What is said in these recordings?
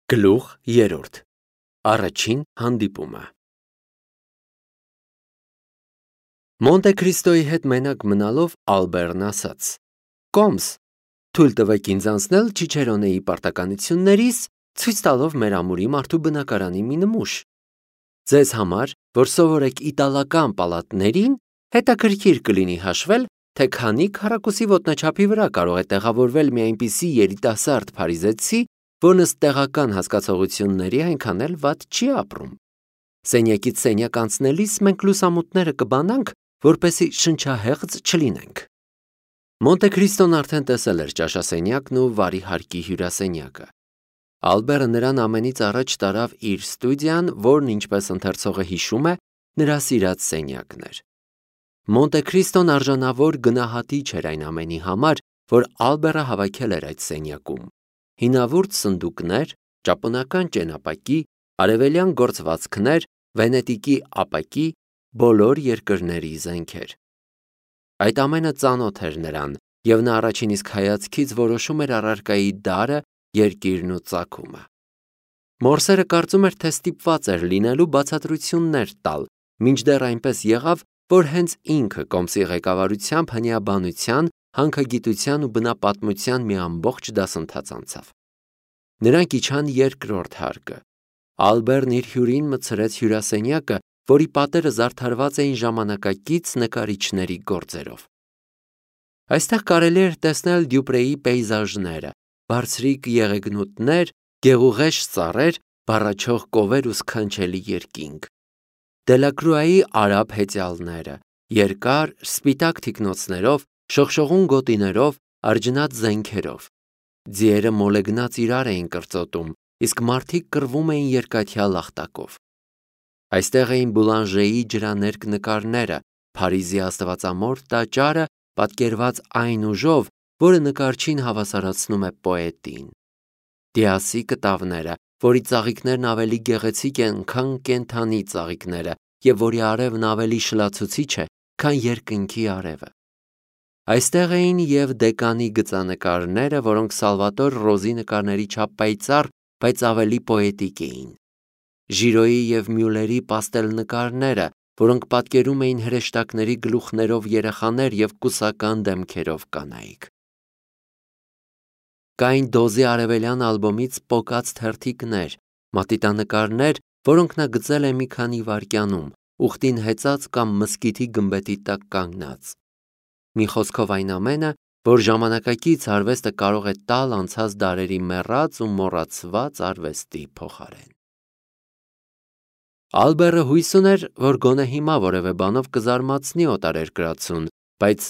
Գլուխ 3. Առաջին հանդիպումը։ Մոնտե Քրիստոյի հետ մենակ մնալով Ալբերն ասաց. «Կոմս, թույլ տվեք ինձ անցնել Չիչերոնեի պարտականություններից, ցույց տալով մեր ամուրի մարդու բնակարանի մի նմուշ։ Ձեզ համար, որ սովորեք իտալական պալատներին, հետաքրքիր կլինի հաշվել, թե քանի քառակուսի ոտնաչափի վրա կարող է տեղավորվել մի այնպիսի երիտասարդ փարիզեցի, որն ըստ տեղական հասկացողությունների այնքան էլ վատ չի ապրում։ Սենյակից սենյակ անցնելիս մենք լուսամուտները կբանանք, որպեսզի շնչահեղձ չլինենք»։ Մոնտե Քրիստոն արդեն տեսել էր ճաշասենյակն ու վարի հարկի հյուրասենյակը։ Ալբերը նրան ամենից առաջ տարավ իր ստուդիան, որն, ինչպես ընթերցողը հիշում է, նրա սիրած սենյակն էր։ Մոնտե Քրիստոն արժանավոր գնահատիչ էր այն ամենի համար, որ Ալբերը հավաքել էր այդ սենյակում։ Հինավուրց սնդուկներ, ճապոնական ճենապակի, արևելյան գործվածքներ, Վենետիկի ապակի, բոլոր երկրների զենքեր։ Այդ ամենը ծանոթ էր նրան, և նա առաջին իսկ հայացքից որոշում էր առարկայի դարը, երկիրն ու ծագումը։ Մորսերը կարծում էր, թե ստիպված էր լինելու բացատրություններ տալ, մինչդեռ այնպես եղավ, որ հենց ինքը Կոմսի ղեկավարությամբ հնիաբանության, հանքագիտության ու բնապատմության մի ամբողջ դասընթաց անցավ։ Նրանք իջան երկրորդ հարկը։ Ալբերն իր հյուրին մտցրեց հյուրասենյակը, որի պատերը զարդարված էին ժամանակակից նկարիչների գործերով։ Այստեղ կարելի էր տեսնել Դյուպրեի պեյզաժները, բարձրիկ եղեգնուտներ, գեղուղեշ ծառեր, բառաչող կովեր ու սքանչելի երկինք։ Դելակրուայի արաբ հեծյալները, երկար, սպիտակ թիկնոցներով, շողշողուն գոտիներով, արջնած զենքերով։ Ձիերը մոլեգնած իրար էին կրծոտում, իսկ մարդիկ կռվում էին երկաթյա լախտակով։ Այստեղ էին Բուլանժեի ջրաներկ նկարները, Փարիզի աստվածամոր տաճարը, պատկերված այն ուժով, որը նկարչին հավասարացնում է պոետին։ Դիասի կտավները, որի ծաղիկներն ավելի գեղեցիկ են, քան կենդանի ծաղիկները, և որի արևն ավելի շլացուցիչ է, քան երկնքի արևը։ Այստեղ էին և Դեկանի գծանկարները, որոնք Սալվատոր Ռոզի նկարների չափ պայծառ, բայց ավելի պոետիկ էին։ Ժիրոյի և Մյուլերի պաստել նկարները, որոնք պատկերում էին հրեշտակների գլուխներով երեխաներ և կուսական դեմքերով կանայք։ Կային Դոզի արևելյան ալբոմից պոկած թերթիկներ, մատիտանկարներ, որոնք նա գծել է մի քանի վայրկյանում, ուխտին հեծած կամ մզկիթի գմբեթի տակ կանգնած։ Մի խոսքով այն ամենը, որ ժամանակակից արվեստը կարող է տալ անցած դարերի մեռած ու մոռացված արվեստի փոխարեն։ Ալբերը հույս ուներ, որ գոնե հիմա որևէ բանով կզարմացնի օտարերկրացուն, բայց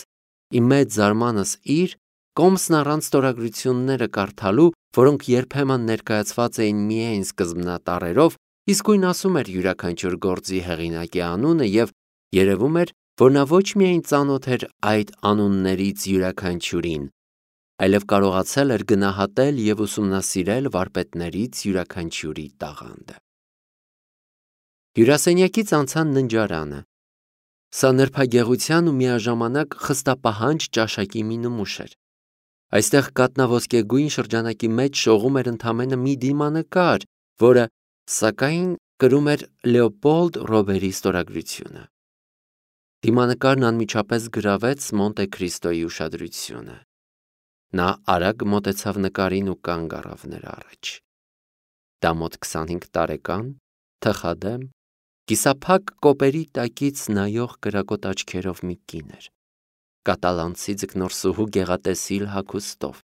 ի մեծ զարմանս իր, Կոմսն առանց ստորագրությունները կարդալու, որոնք երբեմն ներկայացված էին միայն սկզբնատառերով, իսկույն ասում էր յուրաքանչյուր գործի հեղինակի անունը և երևում էր, որ նա ոչ միայն ծանոթ էր այդ անուններից յուրաքանչյուրին, այլև կարողացել էր գնահատել և ուսումնասիրել վարպետներից յուրաքանչյուրի տաղանդը։ Հյուրասենյակից անցան ննջարանը։ Սա նրբագեղության ու միաժամանակ խստապահանջ ճաշակի մի նմուշ էր։ Այստեղ կաթնաոսկեգույն շրջանակի մեջ շողում էր ընդամենը մի դիմանկար, որը, սակայն, կրում էր Լեոպոլդ Ռոբերի ստորագրությունը։ Դիմանկարն անմիջապես գրավեց Մոնտե Քրիստոյի ուշադրությունը։ Նա արագ մոտեցավ նկարին ու կանգ առավ նրա առաջ։ Դա մոտ 25 տարեկան, թխադեմ, կիսափակ կոպերի տակից նայող կրակոտ աչքերով մի կին էր։ Կատալանցի ձկնորսուհու գեղատեսիլ հագուստով,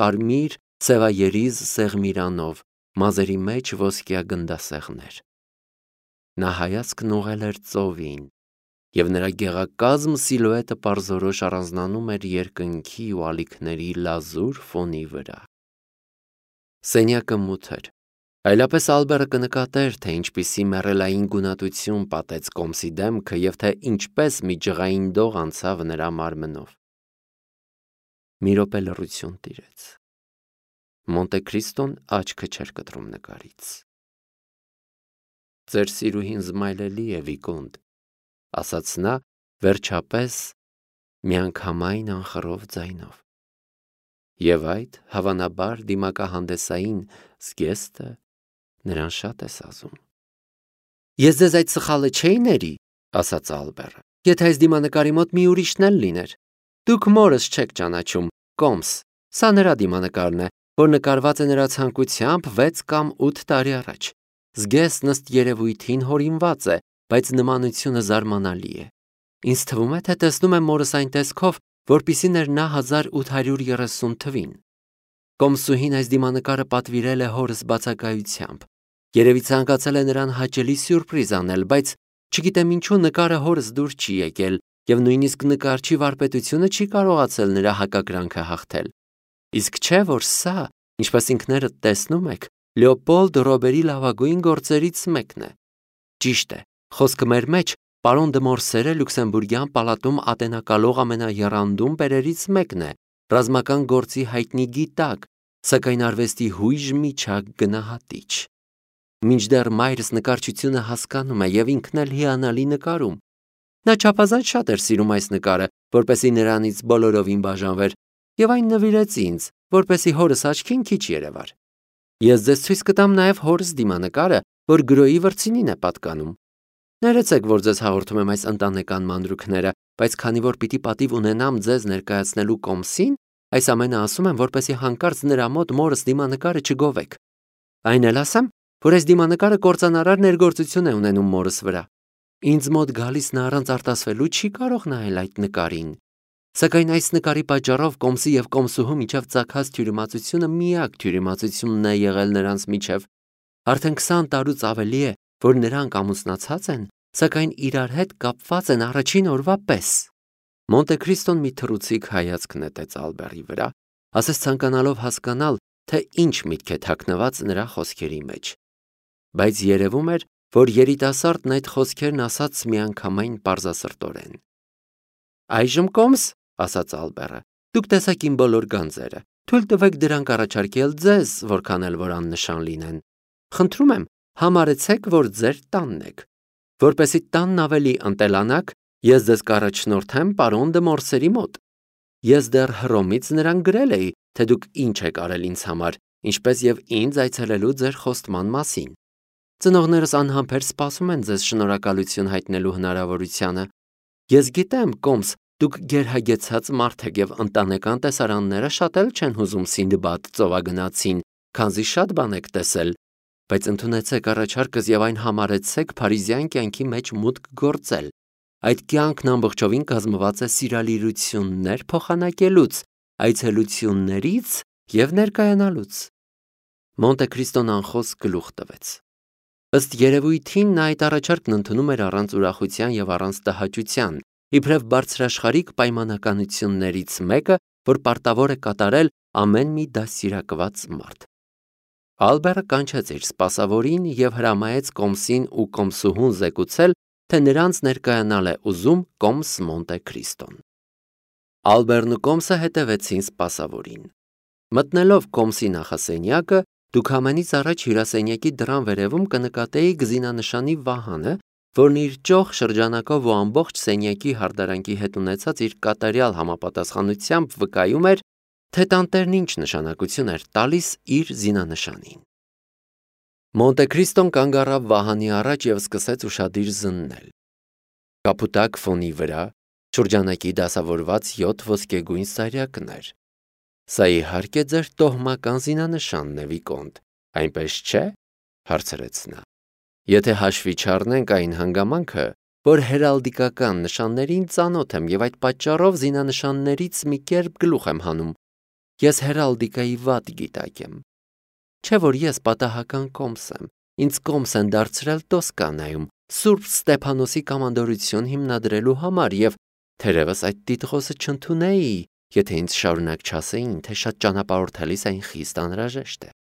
կարմիր սևայերիզ սեղմիրանով, մազերի մեջ ոսկյա գնդասեղներ։ Նա հայացքն ուղղել էր ծովին, և նրա գեղակազմ սիլուետը պարզորոշ առանձնանում էր երկնքի ու ալիքների լազուր ֆոնի վրա։ Սենյակը մութ էր, այլապես Ալբերը կնկատեր, թե ինչպիսի մեռելային գունատություն պատեց Կոմսի դեմքը և թե ինչպես մի ջղային դող անցավ նրա մարմնով։ Մի րոպե լռություն տիրեց։ Մոնտե Քրիստոն աչքը չէր կտրում նկարից։ «Ձեր սիրուհին զմայլելի է, Վիկոնտ», ասաց նա, վերջապես, միանգամայն անխռով ձայնով։ Եվ այդ, հավանաբար, դիմակահանդեսային զգեստը նրան շատ ես ազում։ Ես ձեզ այդ սխալը չէի ների, ասաց Ալբերը, եթե այս դիմանկարի մոտ մի ուրիշն էլ լիներ։ Դուք մորս չեք ճանաչում, Կոմս, սա նրա դիմանկարն է, որ նկարված է նրա ցանկությամբ 6 կամ 8 տարի առաջ։ Զգեստն ըստ երևույթին հորինված է, բայց նմանությունը զարմանալի է։ Ինձ թվում է, թե տեսնում եմ մորս այն տեսքով, որպիսի ներնա 1830 թվին։ Կոմսուհին այս դիմանկարը պատվիրել է հորս բացակայությամբ։ Երևի ցանկացել է նրան հաճելի սյուրպրիզ անել, բայց չգիտեմ ինչու նկարը հորս դուր չի եկել, եւ նույնիսկ նկարչի վարպետությունը չի կարողացել նրա հակակրանքը հաղթել։ Իսկ չէ, որ սա, ինչպես ինքներդ տեսնում եք, Լեոպոլդ Ռոբերի լավագույն գործերից մեկն է։ Ճիշտ է, խոսքը մեր մեջ պարոն դը Մորսերը Լյուքսեմբուրգյան պալատում ատենակալող ամենաեռանդուն բերերից մեկն է, ռազմական գործի հայտնի գիտակ, սակայն արվեստի հույժ միջակ գնահատիչ։ Մինչդեռ մայրս նկարչությունը հասկանում է եւ ինքն էլ հիանալի նկարում։ Նա չափազանց շատ էր սիրում այս նկարը, որպեսզի նրանից բոլորովին բաժանվեր, եւ այն նվիրեց ինձ, որպեսզի հորս աչքին քիչ երևար։ Ես ձեզ ցույց կտամ նաեւ հորս դիմանկարը, որ գրոյի վրձինին է պատկանում։ Ներեցեք, որ ձեզ հաղորդում եմ այս ընտանեկան մանրուքները, բայց քանի որ պիտի պատիվ ունենամ ձեզ ներկայացնելու Կոմսին, այս ամենը ասում եմ, որպեսզի հանկարծ նրա մոտ մորս դիմանկարը չգովեք։ Այն էլ ասեմ, որ այս դիմանկարը կործանարար ներգործություն է ունենում մորս վրա։ Ինձ մոտ գալիս նա առանց արտասվելու չի կարող նայել այդ նկարին։ Սակայն այս նկարի պատճառով Կոմսի եւ Կոմսուհու միջև ծագած թյուրիմացությունը միակ թյուրիմացությունն է եղել նրանց միջև։ Արդեն 20 տարուց ավելի է, որ նրանք ամուսնացած են, սակայն իրար հետ կապված են առաջին օրվա պես։ Մոնտե Քրիստոն մի թռուցիկ հայացք նետեց Ալբերի վրա, ասես ցանկանալով հասկանալ, թե ինչ միտք է թաքնված նրա խոսքերի մեջ։ Բայց երևում էր, որ երիտասարդն այդ խոսքերն ասաց միանգամայն պարզասրտորեն։ Այժմ Կոմս, ասաց Ալբերը, դուք տեսաք իմ բոլոր գանձերը, թույլ տվեք դրանք առաջարկել ձեզ, որքան էլ որ աննշան լինեն։ Խնդրում եմ, համարեցեք, որ ձեր տանն եք։ Որպեսզի տանն ավելի ընտելանաք, ես ձեզ կառաջնորդեմ պարոն դը Մորսերի մոտ։ Ես դեռ Հռոմից նրան գրել էի, թե դուք ինչ եք արել ինձ համար, ինչպես եւ ինձ այցելելու ձեր խոստման մասին։ Ծնողներս անհամբեր սպասում են ձեզ շնորհակալություն հայտնելու հնարավորությանը։ Ես գիտեմ, Կոմս, դուք գերհագեցած մարդ եք եւ ընտանեկան տեսարանները շատ էլ չեն հուզում Սինդբադ ծովագնացին, քանզի շատ բան եք տեսել, բայց ընդունեցեք առաջարկս եւ այն համարեցեք փարիզյան կյանքի մեջ մուտք գործել։ Այդ կյանքն ամբողջովին կազմված է սիրալիրություններ փոխանակելուց, այցելություններից եւ ներկայանալուց։ Մոնտե Քրիստոն անխոս գլուխ տվեց։ Ըստ երևույթին նա այդ առաջարկն ընդունում էր առանց ուրախության եւ առանց տհաճության, իբրև բարձրաշխարհիկ պայմանականություններից մեկը, որ պարտավոր է կատարել ամեն մի դասիրակված մարդ։ Ալբերը կանչեց իր սպասավորին եւ հրամայեց Կոմսին ու Կոմսուհուն զեկուցել, թե նրանց ներկայանալ է ուզում Կոմս Մոնտե Քրիստոն։ Ալբերն ու Կոմսը հետևեցին սպասավորին։ Մտնելով Կոմսի նախասենյակը, դուք ամենից առաջ հյուրասենյակի դռան վերևում կնկատեիք զինանշանի վահանը, որն իր ճոխ շրջանակով ու ամբողջ սենյակի հարդարանքի հետ ունեցած իր կատարյալ համապատասխանությամբ վկայում էր, թե տանտերն ինչ նշանակություն էր տալիս իր զինանշանին։ Մոնտե Քրիստոն կանգ առավ վահանի առաջ եւ սկսեց ուշադիր զննել։ Կապուտակ ֆոնի վրա շրջանակի դասավորված 7 ոսկեգույն սարյակներ։ Սա իհարկե ձեր տոհմական զինանշանն է, Վիկոնտ, այնպես չէ՞, հարցրեց նա։ Եթե հաշվի չառնենք այն հանգամանքը, որ հերալդիկական նշաններին ծանոթ եմ եւ այդ պատճառով զինանշաններից մի կերպ գլուխ եմ հանում, ես հերալդիկայի վատ գիտակ եմ։ Չէ՞ որ ես պատահական Կոմս եմ, ինձ Կոմս են դարձրել Տոսկանայում, Սուրբ Ստեփանոսի կամանդորություն հիմնադրելու համար եւ թերևս այդ տիտղոսը չընդունեի, եթե ինձ շարունակ չասեին, թե շատ ճանապարհորդելիս այն խիստ անհրաժեշտ է։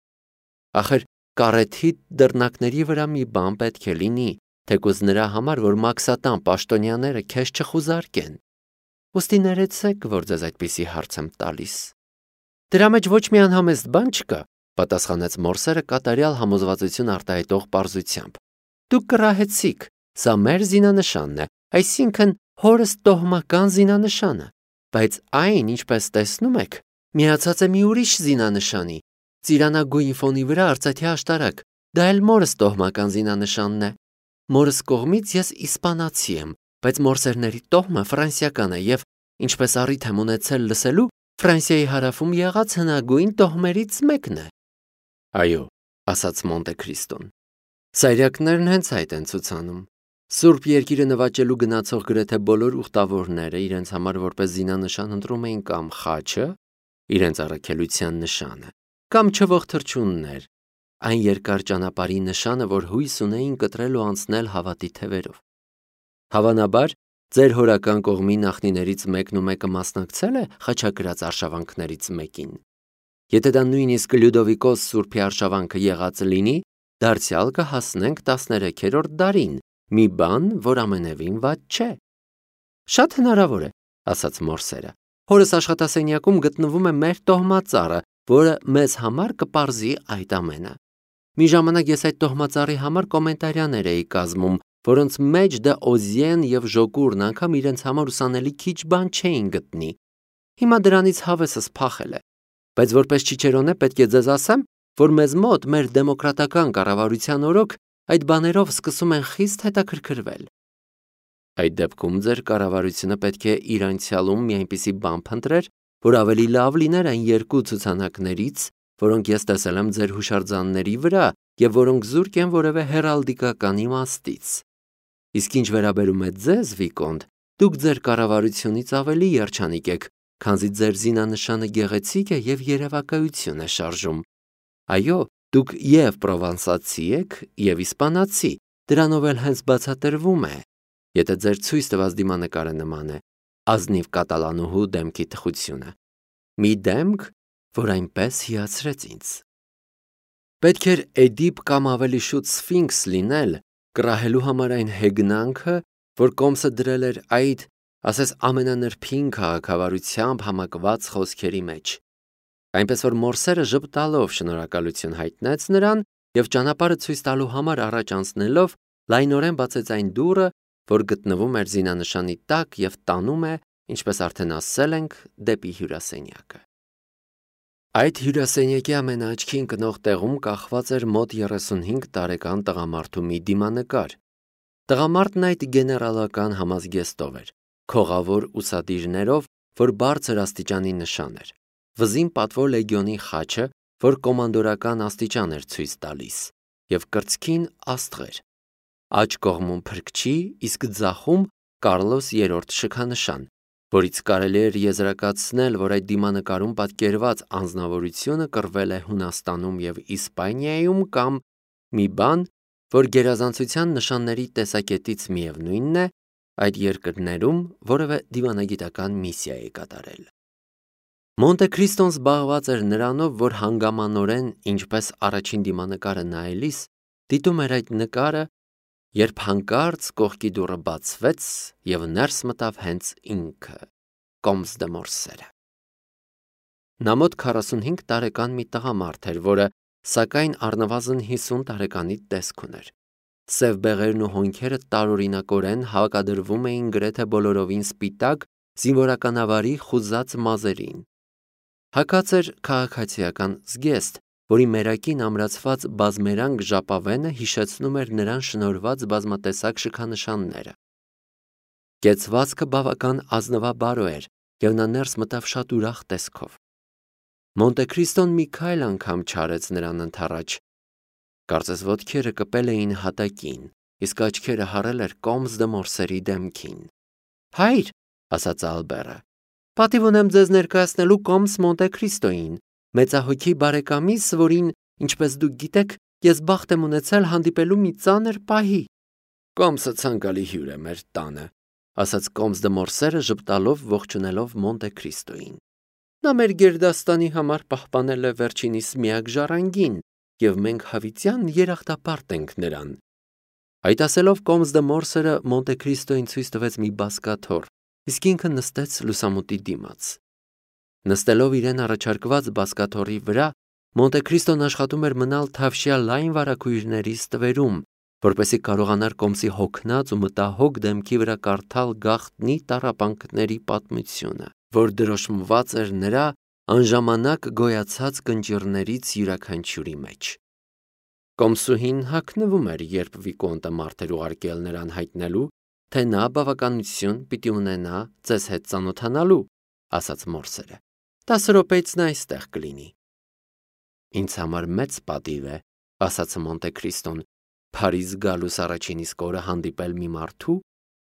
Ախր կարեթի դռնակների վրա մի բան պետք է լինի, թեկուզ նրա համար, որ մաքսատան պաշտոնյաները քեզ չխուզարկեն։ Ոստի ներեցեք, որ ձեզ այդպիսի հարց եմ տալիս։ Դրա մեջ ոչ մի անհամեստ բան չկա, պատասխանեց Մորսերը կատարյալ համոզվածություն արտահայտող պարզությամբ։ Դուք կռահեցիք, սա մեր զինանշանն է, այսինքն հորս տոհմական զինանշանը, բայց այն, ինչպես տեսնում եք, միացած է մի ուրիշ զինանշանի, ծիրանագույն ֆոնի վրա արծաթե աշտարակ, Դա էլ մորս տոհմական զինանշանն է։ Մորս կողմից ես իսպանացի եմ, բայց մորսերների տոհմը ֆրանսիական է եւ ինչպես առիթ եմ ունեցել լսելու, Ֆրանսիայի հարավում եղած հնագույն տոհմերից մեկն է։ Այո, ասաց Մոնտե Քրիստոն։ Սայրակներն հենց այդ են ցուցանում։ Սուրբ երկիրը նվաճելու գնացող գրեթե բոլոր ուխտավորները իրենց համար որպես զինանշան ընտրում էին կամ խաչը, իրենց առաքելության նշանը, կամ չվող թռչուններ, այն երկար ճանապարհի նշանը, որ հույս ունեին կտրել ու անցնել հավատի թևերով։ Հավանաբար, ձեր հորական կողմի նախնիներից մեկն ու մեկը մասնակցել է խաչակրած արշավանքներից մեկին։ Եթե դա նույնիսկ Լյուդովիկոս Սուրբի արշավանքը եղած լինի, դարձյալ կհասնենք 13-րդ դարին, մի բան, որ ամենևին վատ չէ։ Շատ հնարավոր է, ասաց մորսերը։ Հորս աշխատասենյակում գտնվում է մեր տոհմածառը, որը մեզ համար կպարզի այդ ամենը։ Մի ժամանակ ես այդ տոհմածառի համար կոմենտարիաներ էի կազմում, որոնց մեջ դե Օզիեն եւ Ժոկուրն անգամ իրենց համար ուսանելի քիչ բան չէին գտնի։ Հիմա դրանից հավեսս փախել է։ Բայց որպես Չիչերոնե պետք է ձեզ ասեմ, որ մեզ մոտ մեր դեմոկրատական կառավարության օրոք այդ բաներով սկսում են խիստ հետաքրքրվել։ Այդ դեպքում ձեր կառավարությունը պետք է իր անցյալում մի այնպիսի բան փնտրեր, որ ավելի լավ լիներ այն երկու ցուցանակներից, որոնք ես տեսել եմ ձեր հուշարձանների վրա եւ որոնք զուրկ են որևէ հերալդիկական իմաստից։ Իսկ ինչ վերաբերում է ձեզ, Վիկոնտ, դուք ձեր կառավարությունից ավելի երջանիկ եք, քանզի ձեր զինանշանը գեղեցիկ է եւ երևակայություն է շարժում։ Այո, դուք եւ պրովանսացի եք, եւ իսպանացի, դրանով էլ հենց բացատրվում է, եթե ձեր ցույց տված դիմանկարը նման է, ազնիվ կատալանուհու դեմքի թխությունը։ Մի դեմք, որ այնպես հիացրեց ինձ։ Պետք էր Էդիպ կամ ավելի շուտ Սֆինքս լինել, կռահելու համար այն հեգնանքը, որ Կոմսը դրել էր այդ, ասես ամենանրբին քաղաքավարությամբ համակված խոսքերի մեջ։ Այնպես որ մորսերը ժպտալով շնորհակալություն հայտնեց նրան եւ ճանապարհը ցույց տալու համար առաջ անցնելով լայնորեն բացեց այն դուռը, որ գտնվում էր զինանշանի տակ եւ տանում է, ինչպես արդեն ասել ենք, դեպի հյուրասենյակը։ Այդ հյուրասենյակի ամենաաչքի ընկնող տեղում կախված էր մոտ 35 տարեկան տղամարդու մի դիմանկար։ Տղամարդն այդ գեներալական համազգեստով էր, քողավոր ուսադիրներով, որ բարձր աստիճանի նշան էր, վզին պատվո լեգիոնի խաչը, որ կոմանդորական աստիճան էր ցույց տալիս, եւ կրծքին աստղեր։ Աջ կողմում փրկչի, իսկ ձախում Կարլոս III շքանշան, որից կարելի էր եզրակացնել, որ այդ դիմանկարում պատկերված անձնավորությունը կռվել է Հունաստանում եւ Իսպանիայում կամ մի բան, որ գերազանցության նշանների տեսակետից միևնույնն է, այդ երկրներում որևէ դիվանագիտական միսիա է կատարել։ Մոնտե Քրիստոն զբաղված էր նրանով, որ հանգամանորեն, ինչպես առաջին դիմանկարը նայելիս, դիտում էր այդ նկարը, երբ հանկարծ կողքի դուռը բացվեց եւ ներս մտավ հենց ինքը, Կոմս դե Մորսերը։ Նա մոտ 45 տարեկան մի տղամարդ էր, որը սակայն առնվազն 50 տարեկանի տեսք ուներ։ Սև բեղերն ու հոնքերը տարօրինակորեն հակադրվում էին գրեթե բոլորովին սպիտակ, զինվորականավարի խուզած մազերին։ Հակած էր քաղաքացիական զգեստ, որի մերակին ամրացված բազմերանգ ժապավենը հիշեցնում էր նրան շնորհված բազմատեսակ շքանշանները։ Կեցվածքը բավական ազնվաբարո էր, եւ նա ներս մտավ շատ ուրախ տեսքով։ Մոնտե Քրիստոն մի քայլ անգամ չարեց նրան ընդառաջ։ Կարծես ոտքերը կպել էին հատակին, իսկ աչքերը հառել էր Կոմս դե Մորսերի դեմքին։ Հայր, ասաց Ալբերը, պատիվ ունեմ ձեզ ներկայացնելու Կոմս Մոնտե Քրիստոին, մեծահոգի բարեկամիս, որին, ինչպես դուք գիտեք, ես բախտ եմ ունեցել հանդիպելու մի ծանր պահի։ Կոմսը ցանկալի հյուր է մեր տանը, ասաց Կոմս դե Մորսերը ժպտալով ողջունելով Մոնտե Քրիստոին։ Նա մեր գերդաստանի համար պահպանել է վերջինիս միակ ժառանգին, եւ մենք հավիտյան երախտապարտ ենք նրան։ Այդ ասելով Կոմս դե Մորսերը Մոնտե Քրիստոին ցույց տվեց մի բազկաթոռ, իսկ ինքը նստեց լուսամուտի դիմաց։ Նստելով իրեն առաջարկված բազկաթոռի վրա, Մոնտե Քրիստոն աշխատում էր մնալ թավշյա լայն վարագույրների ստվերում, որպեսզի կարողանար Կոմսի հոգնած ու մտահոգ դեմքի վրա կարդալ գաղտնի տառապանքների պատմությունը, որ դրոշմված էր նրա անժամանակ գոյացած կնճիռներից յուրաքանչյուրի մեջ։ Կոմսուհին հագնվում էր, երբ Վիկոնտը մարդ էր ուղարկել նրան հայտնելու, թե նա բավականություն պիտի ունենա ձեզ հետ ծանոթանալու, ասաց մորսերը։ 10 րոպեից նա այստեղ կլինի։ Ինձ համար մեծ պատիվ է, ասաց Մոնտե Քրիստոն, Փարիզ գալուս առաջին իսկ օրը հանդիպել մի մարդու,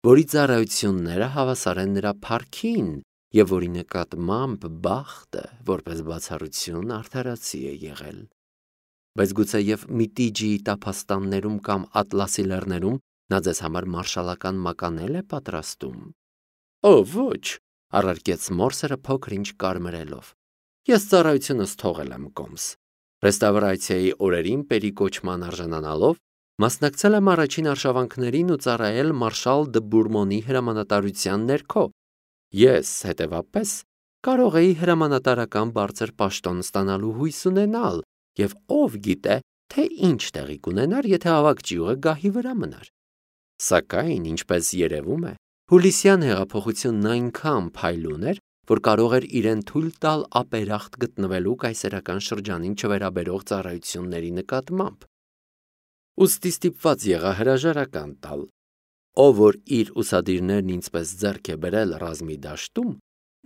որի ծառայությունները հավասար են նրա փառքին եւ որի նկատմամբ բախտը, որպես բացառություն, արդարացի է եղել։ Բայց գուցեև Միտիջիի տափաստաններում կամ Ատլասի լեռներում նա ձեզ համար մարշալական մականել է պատրաստում։ Օ, ոչ, առարկեց մորսերը փոքր ինչ կարմրելով։ Ես ծառայությունս թողել եմ կոմս։ Ռեստավրացիայի օրերին պերիկոչման արժանանալով մասնակցել եմ առաջին արշավանքներին ու ծառայել մարշալ դը Բուրմոնի հրամանատարության ներքո։ Ես, հետևապես, կարող էի հրամանատարական բարձր պաշտոն ստանալու հույս ունենալ, եւ ով գիտե, թե ինչ տեղի կունենար, եթե ավագ ճյուղը գահի վրա մնար։ Սակայն, ինչպես երևում է, Հուլիսյան հեղափոխությունն այնքան փայլուն էր, որ կարող էր իրեն թույլ տալ ապերախտ գտնվելու կայսերական շրջանին չվերաբերող ծառայությունների նկատմամբ։ Ուստի ստիպված եղա հրաժարական տալ, ով որ իր ուսադիրներն ինձպես ձեռք է բերել ռազմի դաշտում,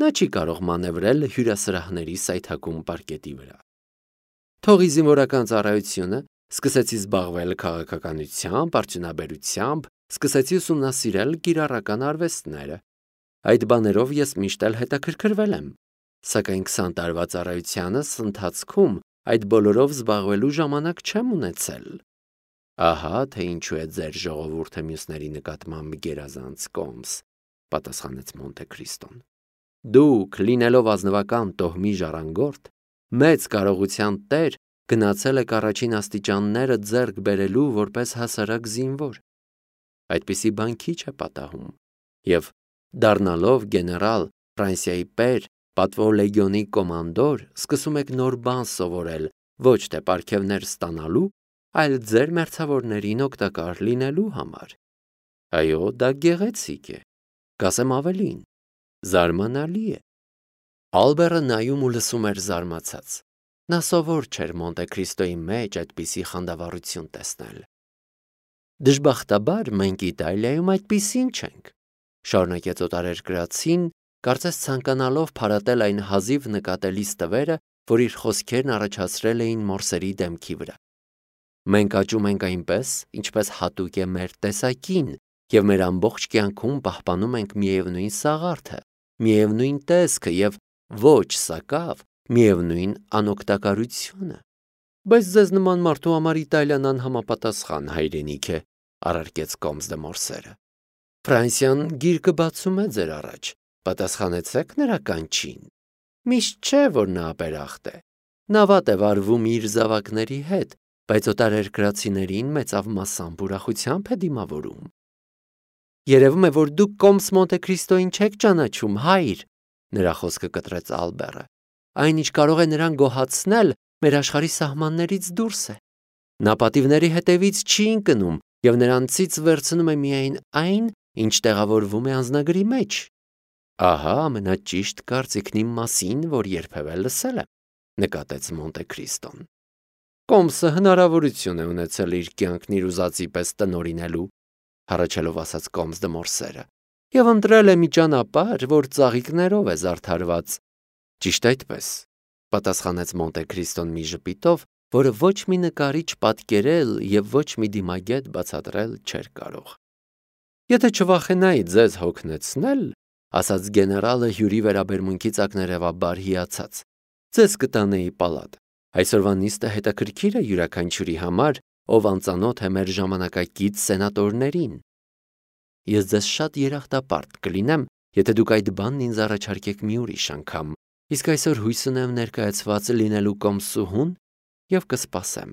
նա չի կարող մանևրել հյուրասրահների սայթակում պարկետի վրա։ Թողի զինվորական ծառայությունը, սկսեցի զբաղվել քաղաքականությամբ, արդյունաբերությամբ, սկսեցի ուսումնասիրել կիրառական արվեստները։ Այդ բաներով ես միշտ էլ հետաքրքրվել եմ, սակայն 20 տարվա ծառայությանս ընթացքում այդ բոլորով զբաղվելու ժամանակ չեմ ունեցել։ Ահա թե ինչու է ձեր ժողովուրդը մյուսների նկատմամբ գերազանց կոմս, պատասխանեց Մոնտե Քրիստոն։ Դուք, լինելով ազնվական տոհմի ժառանգորդ, մեծ կարողության տեր, գնացել եք առաջին աստիճանները ձեռք բերելու որպես հասարակ զինվոր։ Այդպիսի բան քիչ է պատահում, եւ դառնալով գեներալ, Ֆրանսիայի պեր, պատվո լեգիոնի կոմանդոր, սկսում եք նոր բան սովորել, ոչ թե պարգևներ ստանալու, այլ ձեր մերձավորներին օգտակար լինելու համար։ Այո, դա գեղեցիկ է, կասեմ ավելին, զարմանալի է։ Ալբերը նայում ու լսում էր զարմացած։ Նա սովոր չէր Մոնտե Քրիստոյի մեջ այդպիսի խանդավառություն տեսնել։ Դժբախտաբար մենք Իտալիայում այդպիսին չենք, շարունակեց օտարերկրացին, կարծես ցանկանալով փարատել այն հազիվ նկատելի ստվերը, որ իր խոսքերն առաջացրել էին մորսերի դեմքի վրա։ Մենք աճում ենք այնպես, ինչպես հատուկ է մեր տեսակին, եւ մեր ամբողջ կյանքում պահպանում ենք միևնույն սաղարթը, միևնույն տեսքը եւ ոչ սակավ միևնույն անօգտակարությունը։ Բայց ձեզ նման մարդու համար Իտալիան անհամապատասխան հայրենիք է, առարկեց կոմս դե մորսերը։ Ֆրանսիան գիրկը բացում է ձեր առաջ, պատասխանեցեք նրա կանչին։ Միշտ չէ, որ նա ապերախտ է։ Նա վատ է վարվում իր զավակների հետ, բայց օտարերկրացիներին մեծավ մասամբ ուրախությամբ է դիմավորում։ Երևում է, որ դուք կոմս Մոնտե Քրիստոյին չեք ճանաչում, հայր, նրա խոսքը կտրեց Ալբերը։ Այնինչ կարող է նրան գոհացնել, մեր աշխարհի սահմաններից դուրս է։ Նա պատիվների հետևից չի ընկնում եւ նրանցից վերցնում է միայն այն, ինչ տեղավորվում է անձնագրի մեջ։ Ահա ամենաճիշտ կարծիքն իմ մասին, որ երբևէ լսել եմ, նկատեց Մոնտե Քրիստոն։ Կոմսը հնարավորություն է ունեցել իր կյանքն իր ուզածի պես տնօրինելու, հառաչելով ասաց կոմս դե մորսերը, եւ ընտրել է մի ճանապարհ, որ ծաղիկներով է զարդարված։ Ճիշտ այդպես, պատասխանեց Մոնտե Քրիստոն մի ժպիտով, որը ոչ մի նկարիչ պատկերել եւ ոչ մի դիմագետ բացատրել չէր կարող։ Եթե չվախենայի ձեզ հոգնեցնել, ասաց գեներալը հյուրի վերաբերմունքից ակներևաբար հիացած, ձեզ կտանեի պալատ։ Այսօրվա նիստը հետաքրքիր է յուրաքանչյուրի համար, ով անծանոթ է մեր ժամանակակից սենատորներին։ Ես ձեզ շատ երախտապարտ կլինեմ, եթե դուք այդ բանն ինձ առաջարկեք մի ուրիշ անգամ, իսկ այսօր հույս ունեմ ներկայացված լինելու կոմսուհուն եւ կսպասեմ։